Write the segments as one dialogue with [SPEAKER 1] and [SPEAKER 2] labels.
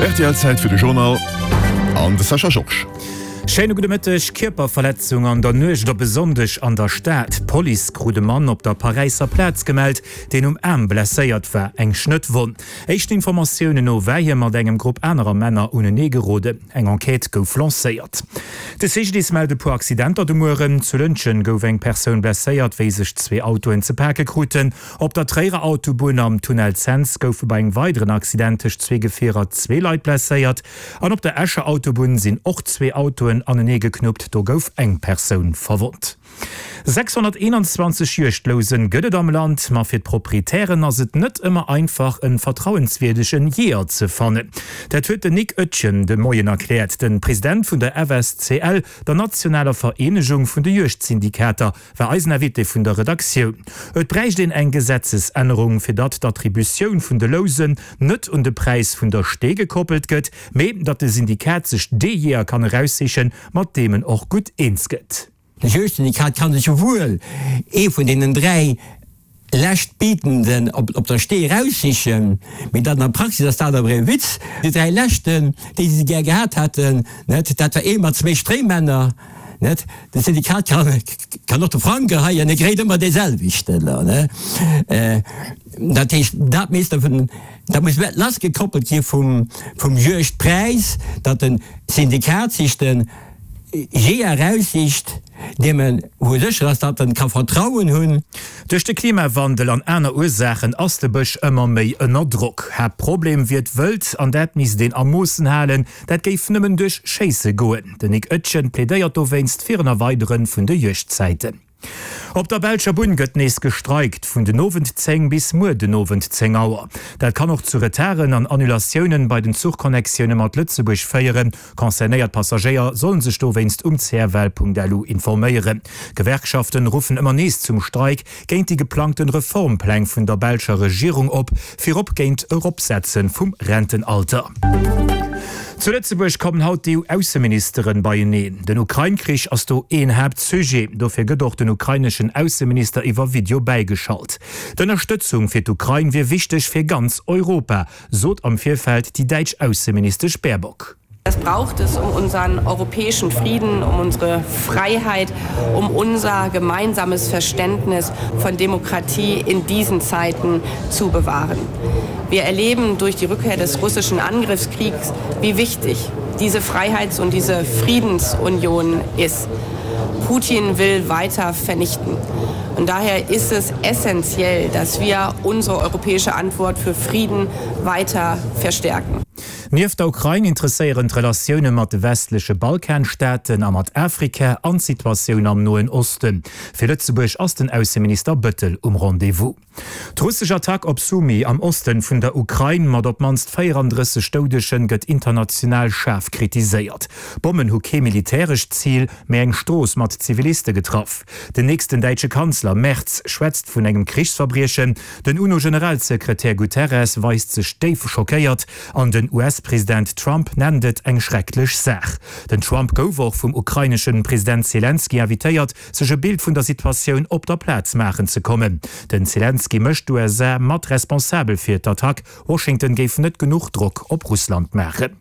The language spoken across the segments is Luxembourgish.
[SPEAKER 1] Rtl Zäit fir de Journal an de Sascha Georges.
[SPEAKER 2] Schéine gudde Mëtteg. Kierperverletzung an der Nuecht op e Sonndeg an der Stad. D'Police krut e Mann op der Paräisser Plaz gemellt, deen um Aarm blesséiert war, eng Schnëttwonn. Éischten Informatiounen no war hie mat engem Grupp anerer Männer unenee geroden. Eng Enquête gouf lancéiert. De CGDIS mellt e puer Accidenter de Mueren. Zu Lëntgen gouf eng Persoun blesséiert, wéi sech zwee Autoen ze pake kruten. Op der Tréierer Autobunn am Tunnel Cents goufe bei engem weideren Accident tëscht zwee Gefierer zwee Leit blesséiert. An op der Escher Autobunn sinn och zwee Autoen anenee geknuppt, do gouf eng Persoun verwonnt. 621 Juegdlousen gëtt et am Land, ma fir d'Proprietären ass et net ëmmer einfach en vertrauenswierdegen Jeeër ze fannen. Dat huet den Nic Oetjen de Moien erkläert. Den President vun der FSCL, der nationaler Vereenegung vun de Juegdsyndikater, war eisen Invité vun der Redaktioun. Et bräicht een eng Gesetzesännerung, fir datt d'Attributioun vun de Lousen net un de Präis vun der Stee gekoppelt gëtt, mee datt de Syndikat sech dee Jeeër kann eraussichen, mat deem en och gutt eens gëtt.
[SPEAKER 3] De Juegdsyndikat kann sech jo wuel ee vun deenen 3 leschtbietenden op der Stee eraussichen, mee dat an der Praxis ass dat awer ee Witz. Déi 3 leschten, déi se gär gehat hätten, net, dat war ee mat zwéi Stréimänner, net. De Syndikat kann och de Frang geheien, e kréit ëmmer dee selwechten, ne. Dat heescht, dat misst dervun, dat muss lassgekoppelt gi vum Juegdpräis, datt de Syndikat sech de Jeeër eraussicht, deem en, wou e sécher ass, datt en ka Vertrauen hunn.
[SPEAKER 2] Duerch de Klimawandel an aner Ursaachen ass de Bësch ëmmer méi ënner Drock. Haaptproblem wier d'Wëld an dat misst een a Moossen halen. Dat géif nëmmen duerch Schéisse goen. Den Nic Oetjen plädéiert dowéinst fir en Erweidere vun de Juegdzäiten. Op der belscher Bunn gëtt nees gestreikt, vun den Owend 10 bis muer den Owend 10 Auer. Dat kann och zu Retarden an Annulatiounen bei den Zuchconnectioune mat Lëtzebuerg féieren. Concernéiert Passagéier sollen sech dowéinst um cfl.lu informéieren. Gewerkschaften ruffen ëmmer nees zum Streik géint déi geplangten Reformpläng vun der belscher Regierung op, virop géint Eropsetze vum Rentenalter. Zu Lëtzebuerg kommen haut d'EU-Ausseministeren beieneen. Den Ukrain-Krich ass do een Haaptsujet. Dofir gëtt och den ukraineschen Ausseminister iwwer Video bäigeschalt. D'Ënnerstëtzung fir d'Ukrain wier wichteg fir ganz Europa, sot am Virfeld déi däitsch Ausseministesch Baerbock.
[SPEAKER 4] Das braucht es, um unseren europäischen Frieden, um unsere Freiheit, um unser gemeinsames Verständnis von Demokratie in diesen Zeiten zu bewahren. Wir erleben durch die Rückkehr des russischen Angriffskriegs, wie wichtig diese Freiheits- und diese Friedensunion ist. Putin will weiter vernichten. Und daher ist es essentiell, dass wir unsere europäische Antwort für Frieden weiter verstärken.
[SPEAKER 2] Nieft der Ukrain interesséieren d'Relatioune mat de westleche Balkanstaaten a mat Afrika an d'Situatioun am Noen Osten. Fir Lëtzebuerg ass den Ausseminister Bëttel um Rendez-vous. D'russesch Attack op Sumy am Osten vun der Ukrain mat op d'mannst 34 Doudegen gëtt international schaarf kritiséiert. D'Bommen hu kee militärescht Zil, mee eng Strooss mat Ziviliste getraff. Den nächsten däitsche Kanzler Merz schwätzt vun engem Krichsverbriechen, den UNO-Generalsekretär Guterres weist sech déif schockéiert an den US-President Trump nennt et eng schrecklech Saach. Den Trump gouf och vum ukraineschen President Selenskyj invitéiert, sech e Bild vun der Situatioun op der Plaz maachen ze kommen. Den Selenskyj mécht d'USA mat responsabel fir d'Attack. Washington géif net genuch Drock op Russland maachen.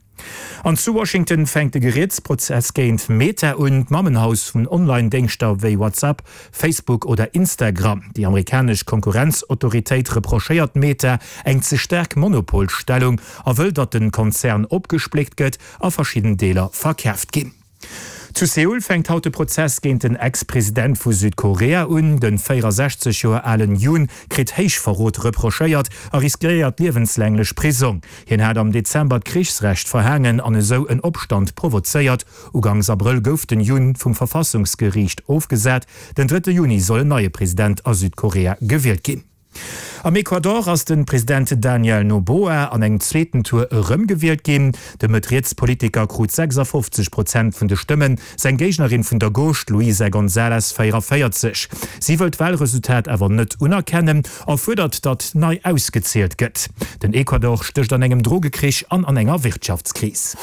[SPEAKER 2] An zu Washington fänkt de Gerietsprozess géint Meta un, d'Mammenhaus vun Online-Déngschter wéi WhatsApp, Facebook oder Instagram. Déi amerikanesch Konkurrenzautoritéit reprochéiert Meta eng ze staark Monopolstellung a wëll, datt de Konzern opgespléckt gëtt a verschidden Deeler verkaaft ginn. Zu Seoul fänkt haut de Prozess géint den Ex-President vu Südkorea un. De 64 Joer alen Yoon kritt Héichverrot reprochéiert a riskéiert liewenslänglech Prisong. Hien hat am Dezember d'Krichsrecht verhaangen an esou en Opstand provozéiert. Ugangs Abrëll gouf den Yoon vum Verfassungsgeriicht ofgesat. Den drëtte Juni soll en neie President a Südkorea gewielt ginn. Am Ecuador ass de President Daniel Noboa an engem zweeten Tour erëmgewielt ginn. De Mëtt-Riets-Politiker krut 56 Prozent vun de Stëmmen, seng Géignerin vun der Gauche, d'Luisa González, 44. Si wëll d'Walresultat awer net unerkennen a fuerdert, datt nei ausgezielt gëtt. Den Ecuador stécht an engem Drogekrich an an enger Wirtschaftskris.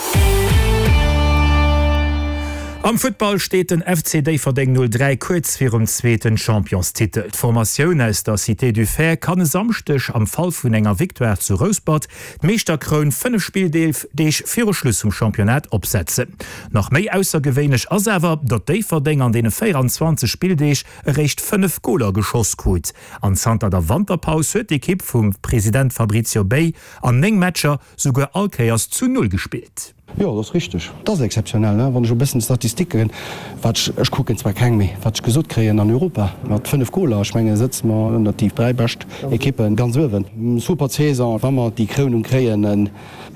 [SPEAKER 2] Am Futtball steet den FC Déifferdeng 03 kuerz virum zweeten Championstitel. D'Formatioun aus der Cité du Fer kann e Samschdeg am Fall vun enger Victoire zu Rouspert d'Meeschterkroun 5 Spilldeeg viru Schluss vum Championnat opsetzen. Nach méi aussergewéinlech ass awer, datt Déifferdeng an deene 24 Spilldeeg eréischt 5 Goler geschoss krut. An zanter der Wanterpaus huet d'Ekipp vum President Fabrizio Bei an 9 Matcher souguer all Kéiers zu Null gespillt.
[SPEAKER 5] Jo, dat ass richteg. Dat ass exzeptionell, ne? Wann ech e bëssen d'Statistiken, wat ech, ech kucken zwar keng, mee wat ech gesot kréien an Europa, mat 5 Goler, ech mengen, sëtze mer ënnert déi 3 bescht Ekippen ganz uewen. Super Saison, wa mer déi Krounung kréien,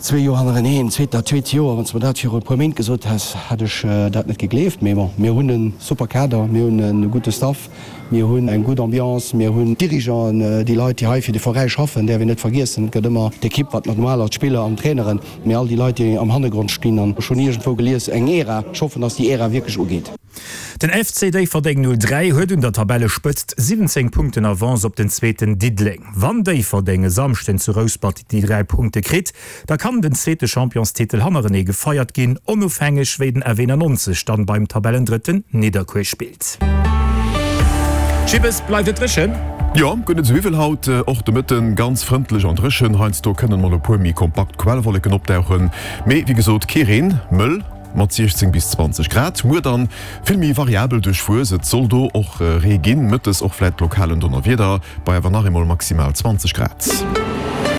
[SPEAKER 5] zwee Joer hannereneen, zweet, dat zweet Joer. Wann s de mer dat viru e puer Méint gesot häss, hätt ech dat net gegleeft. Mee bon, mir hunn e super Kader, mir hunn e gudde Staff, mir hunn eng gutt Ambiance, mir hunn d'Dirigeanten, déi Leit, déi hei fir de Veräi schaffen, däerf een net vergiessen. Et gëtt ëmmer d'Ekipp, wat normal ass, d'Spiller an d'Traineren. Mee all déi Leit, déi am Hannergrond stinn, an ech hunn iergendwou gelies, eng Ära, ech hoffen, dass déi Ära wierklech ugeet.
[SPEAKER 2] Den FC Déifferdeng 03 huet un der Tabellespëtzt 17 Punkten Avance op den zweeten Diddeleng. Wann Déifferdeng e Samschden zu Rouspert déi 3 Punkte kritt, da kann den zweete Championstitel hannerenee gefeiert ginn, onofhängeg wéi den F91 dann beim Tabellendrëtten Nidderkuer spillt. Jibbes, bleift et dréchen?
[SPEAKER 1] Jo, guer net esou iwwel haut. Och de Mëtten ganz frëndlech an dréchen. Heiansdo kënnen mol e puer méi kompakt Quellwolleken opdauchen, mee wéi gesot kee Reen. Mëll mat 16 bis 20 Grad. Muer dann vill méi variabel duerchwuess, et soll do och Ree ginn, mëttes och vläit lokal en Donnerwieder, bei awer nach eemol maximal 20 Grad.